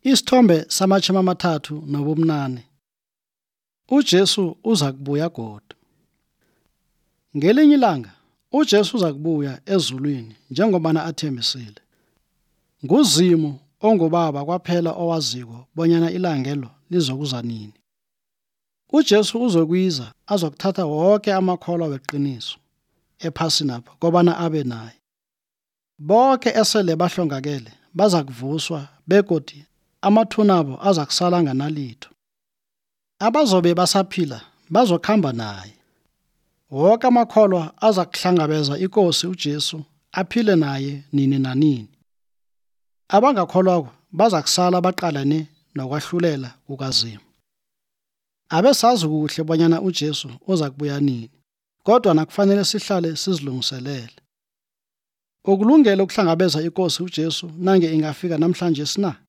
Isithombe samachumi amathathu nobumnane. uJesu uza kubuya godu. Ngelinye ilanga uJesu uza kubuya ezulwini njengobana athembisile. NguZimu onguBaba kwaphela owaziko bonyana ilangelo lizokuza nini. uJesu uzokwiza azokuthatha woke amakholwa weqiniso ephasinapha kobana abe naye. Boke esele bahlongakele baza kuvuswa begodi amathunabo azakusala nganalitho. Abazobe basaphila bazokhamba naye. Woke amakholwa azakuhlangabeza iNkosi uJesu aphile naye nini nanini. Abangakholwako bazakusala baqalane nokwahlulela kukaZimu. Abesazi kuhle bonyana uJesu uza kubuya nini, kodwa nakufanele sihlale sizilungiselele. Ukulungele ukuhlangabeza iNkosi uJesu nange ingafika namhlanje na?